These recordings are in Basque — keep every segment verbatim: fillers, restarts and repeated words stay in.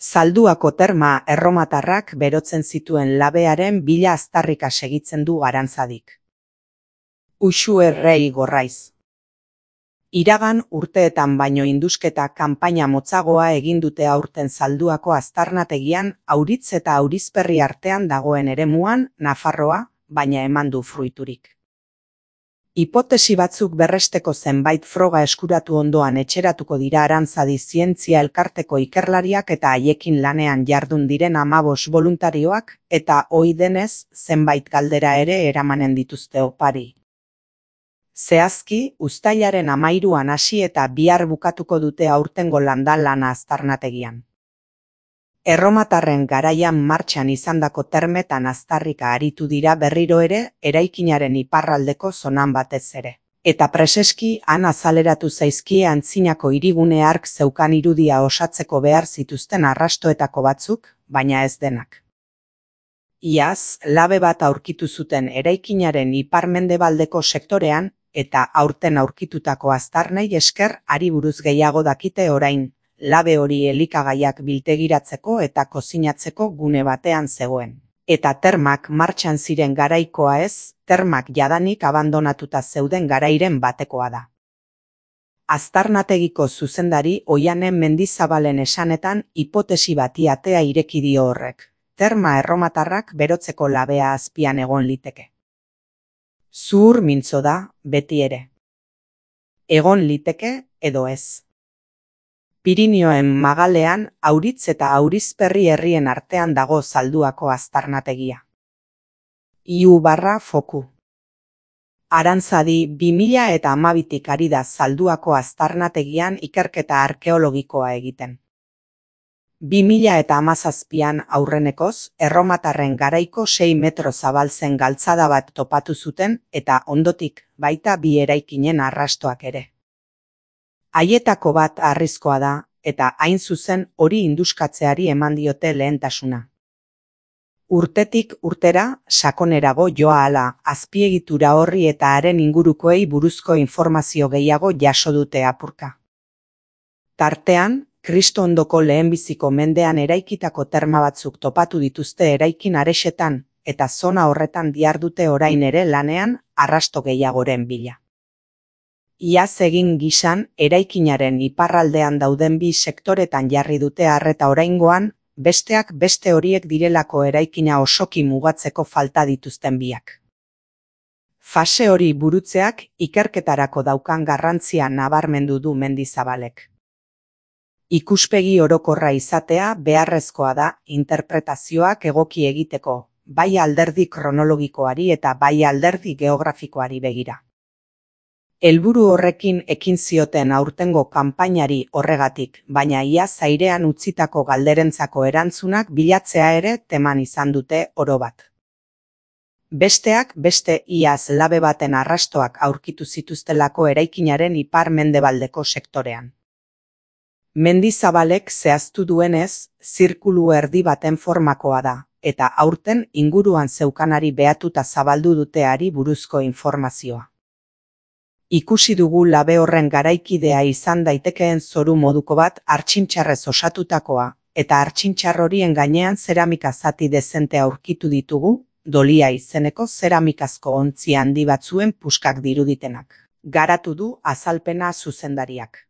Zalduako terma erromatarrak berotzen zituen labearen bila aztarrika segitzen du Arantzadik. Uxu errei gorraiz. Iragan urteetan baino indusketa kanpaina motzagoa egin dute aurten Zalduako aztarnategian Auritz eta Aurizperri artean dagoen eremuan Nafarroa, baina eman du fruiturik. Hipotesi batzuk berresteko zenbait froga eskuratu ondoan etxeratuko dira Arantzadi zientzia elkarteko ikerlariak eta haiekin lanean jardun diren hamabos boluntarioak, eta ohi denez zenbait galdera ere eramanen dituzte opari. Zehazki, uztailaren hamairuan hasi eta bihar bukatuko dute aurtengo landa lana aztarnategian. Erromatarren garaian martxan izandako termetan aztarrika aritu dira berriro ere eraikinaren iparraldeko zonan batez ere. Eta preseski han azaleratu zaizkie antzinako hirigune hark zeukan irudia osatzeko behar zituzten arrastoetako batzuk, baina ez denak. Iaz, labe bat aurkitu zuten eraikinaren ipar-mendebaldeko sektorean, eta aurten aurkitutako aztarnei esker hari buruz gehiago dakite orain. Labe hori elikagaiak biltegiratzeko eta kozinatzeko gune batean zegoen. Eta termak martxan ziren garaikoa ez, termak jadanik abandonatuta zeuden garairen batekoa da. Aztarnategiko zuzendari Oiane Mendizabalen esanetan hipotesi bati atea ireki dio horrek. Terma erromatarrak berotzeko labea azpian egon liteke. Zuhur mintzo da, beti ere. Egon liteke edo ez. Pirinioen magalean Auritz eta Aurizperri herrien artean dago Zalduako aztarnategia. Iu barra foku. Arantzadi bi mila eta hamabitik ari da Zalduako aztarnategian ikerketa arkeologikoa egiten. bi mila eta hamazazpian aurrenekoz, erromatarren garaiko sei metro zabaltzen galtzada bat topatu zuten eta ondotik baita bi eraikinen arrastoak ere. Haietako bat harrizkoa da, eta hain zuzen hori induskatzeari eman diote lehentasuna. Urtetik urtera, sakonerago joa hala, azpiegitura horri eta haren ingurukoei buruzko informazio gehiago jaso dute apurka. Tartean, Kristo ondoko lehenbiziko mendean eraikitako terma batzuk topatu dituzte eraikin arexetan, eta zona horretan dihardute orain ere lanean arrasto gehiagoren bila. Iaz egin gisan, eraikinaren iparraldean dauden bi sektoretan jarri dute arreta oraingoan, besteak beste horiek direlako eraikina osoki mugatzeko falta dituzten biak. Fase hori burutzeak ikerketarako daukan garrantzia nabarmendu du Mendizabalek. Ikuspegi orokorra izatea beharrezkoa da interpretazioak egoki egiteko, bai alderdi kronologikoari eta bai alderdi geografikoari begira. Helburu horrekin ekin zioten aurtengo kanpainari horregatik, baina iaz airean utzitako galderentzako erantzunak bilatzea ere teman izan dute oro bat. Besteak beste iaz labe baten arrastoak aurkitu zituztelako eraikinaren ipar-mendebaldeko sektorean. Mendizabalek zehaztu duenez, zirkulu erdi baten formakoa da, eta aurten inguruan zeukanari behatuta zabaldu duteari buruzko informazioa. Ikusi dugu labe horren garaikidea izan daitekeen zoru moduko bat hartxintxarrez osatutakoa, eta hartxintxar horien gainean zeramika zati dezente aurkitu ditugu, dolia izeneko zeramikazko ontzi handi batzuen puskak diruditenak. Garatu du azalpena zuzendariak.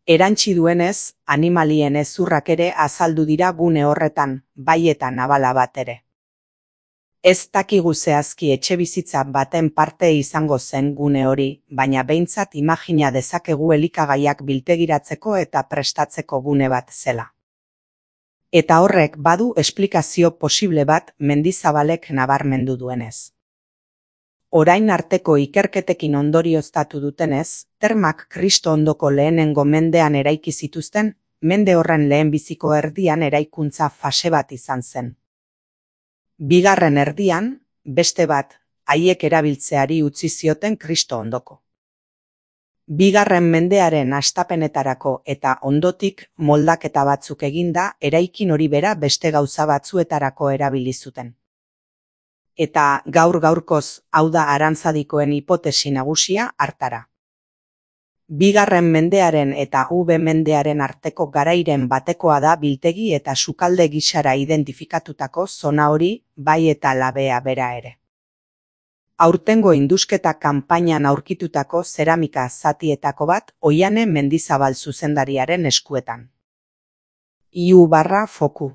Erantsi duenez, animalien hezurrak ere azaldu dira gune horretan, bai eta nabala bat ere. Ez dakigu zehazki etxebizitza baten parte izango zen gune hori, baina behintzat imagina dezakegu elikagaiak biltegiratzeko eta prestatzeko gune bat zela. Eta horrek badu esplikazio posible bat Mendizabalek nabarmendu duenez. Orain arteko ikerketekin ondorioztatu dutenez, termak Kristo ondoko lehenengo mendean eraiki zituzten, mende horren lehenbiziko erdian eraikuntza fase bat izan zen. Bigarren erdian, beste bat, haiek erabiltzeari utzi zioten Kristo ondoko. Bigarren mendearen hastapenetarako eta ondotik moldaketa batzuk eginda eraikin hori bera beste gauza batzuetarako erabili zuten. Eta gaur gaurkoz, hau da Arantzadikoen hipotesi nagusia hartara. Bigarren mendearen eta V mendearen arteko garairen batekoa da biltegi eta sukalde gisara identifikatutako zona hori, bai eta labea bera ere. Aurtengo indusketa kanpainan aurkitutako zeramika zatietako bat Oiane Mendizabal zuzendariaren eskuetan. Iu barra foku.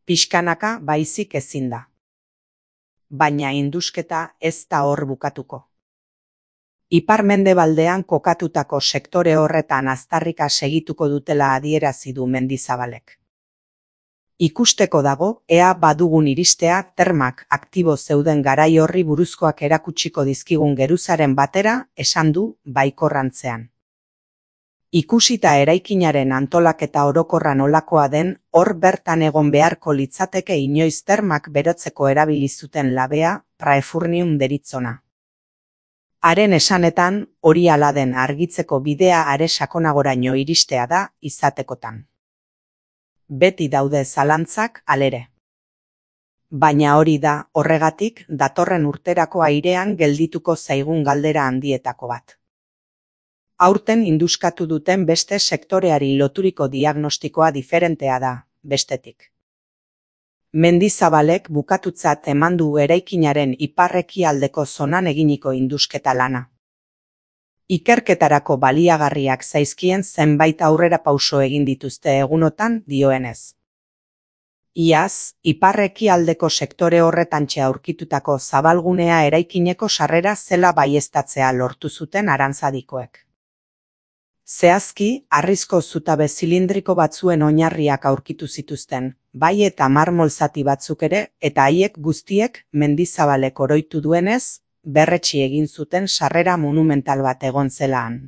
Pixkanaka baizik ezin da. Baina indusketa ez da hor bukatuko. Ipar-mendebaldean kokatutako sektore horretan aztarrika segituko dutela adierazi du Mendizabalek. Ikusteko dago, ea badugun iristea termak aktibo zeuden garai horri buruzkoak erakutsiko dizkigun geruzaren batera, esan du baikorrantzean. Ikusita eraikinaren antolaketa orokorra nolakoa den, hor bertan egon beharko litzateke inoiz termak berotzeko erabili zuten labea, praefurnium deritzona. Haren esanetan, hori hala den argitzeko bidea are sakonagoraino iristea da izatekotan. Beti daude zalantzak halere. Baina hori da, horregatik, datorren urterako airean geldituko zaigun galdera handietako bat. Aurten induskatu duten beste sektoreari loturiko diagnostikoa diferentea da, bestetik. Mendizabalek bukatutzat eman du eraikinaren ipar-ekialdeko zonan eginiko indusketa lana. Ikerketarako baliagarriak zaizkien zenbait aurrerapauso egin dituzte egunotan dioenez. Iaz, ipar-ekialdeko sektore horretantxe aurkitutako zabalgunea eraikineko sarrera zela baieztatzea lortu zuten Arantzadikoek. Zehazki, harrizko zutabe zilindriko batzuen oinarriak aurkitu zituzten, bai eta marmol zati batzuk ere, eta haiek guztiek Mendizabalek oroitu duenez, berretsi egin zuten sarrera monumental bat egon zelaan.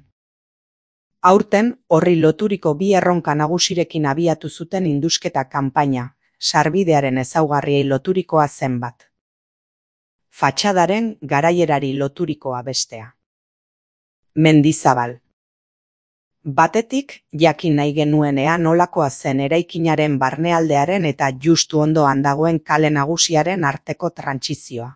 Aurten, horri loturiko bi erronka nagusirekin abiatu zuten indusketa kanpaina, sarbidearen ezaugarriei loturikoa zenbat. Fatxadaren garaierari loturikoa bestea. Mendizabal. Batetik, jakin nahi genuenean nolakoa zen eraikinaren barnealdearen eta justu ondoan dagoen kale nagusiaren arteko trantsizioa.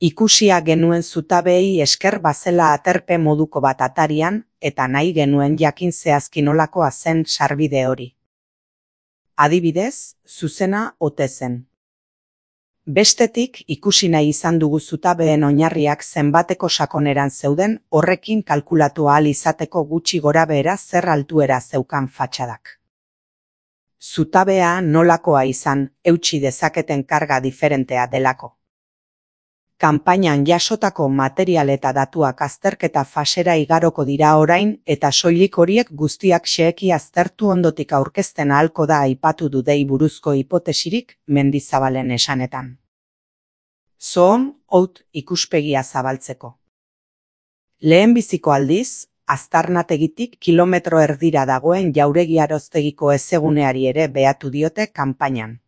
Ikusia genuen zutabeei esker bazela aterpe moduko bat atarian, eta nahi genuen jakin zehazki nolakoa zen sarbide hori. Adibidez, zuzena ote zen. Bestetik, ikusi nahi izan dugu zutabeen oinarriak zenbateko sakoneran zeuden, horrekin kalkulatu ahal izateko gutxi gorabehera zer altuera zeukan fatxadak. Zutabea nolakoa izan, eutsi dezaketen karga diferentea delako. Kanpainan jasotako material eta datuak azterketa fasera igaroko dira orain, eta soilik horiek guztiak xeheki aztertu ondotik aurkezten ahalko da aipatu du dei buruzko hipotesirik Mendizabalen esanetan. Zoon, out ikuspegia zabaltzeko. Lehenbiziko aldiz, Aztarnategitik kilometro erdira dagoen jauregi aroztegiko ezeguneari ere behatu diote kanpainan.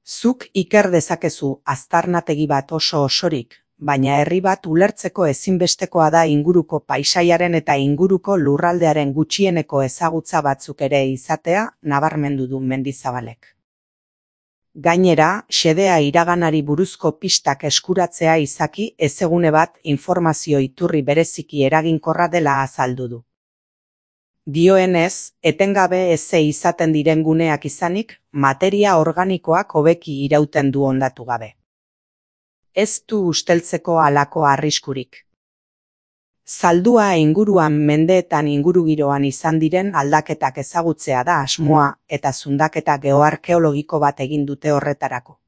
Zuk iker dezakezu aztarnategi bat oso osorik, baina herri bat ulertzeko ezinbestekoa da inguruko paisaiaren eta inguruko lurraldearen gutxieneko ezagutza batzuk ere izatea, nabarmendu du Mendizabalek. Gainera, xedea iraganari buruzko pistak eskuratzea izaki ezegune bat informazio iturri bereziki eraginkorra dela azaldu du. Dioenez, etengabe eze izaten diren guneak izanik, materia organikoak hobeki irauten du hondatu gabe. Ez du usteltzeko halako arriskurik. Zaldua inguruan mendeetan ingurugiroan izan diren aldaketak ezagutzea da asmoa eta zundaketa geoarkeologiko bat egin dute horretarako.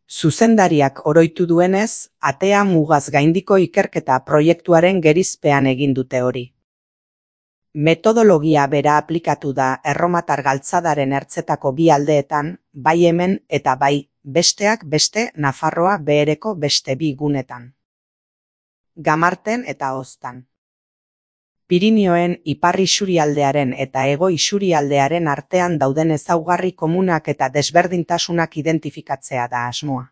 Zuzendariak oroitu duenez, atea mugaz gaindiko ikerketa proiektuaren gerizpean egin dute hori. Metodologia bera aplikatu da erromatar galtzadaren ertzetako bi aldeetan, bai hemen eta bai, besteak beste Nafarroa behereko beste bi gunetan. Gamarten eta Oztan. Pirinioen ipar isurialdearen eta hego isurialdearen artean dauden ezaugarri komunak eta desberdintasunak identifikatzea da asmoa.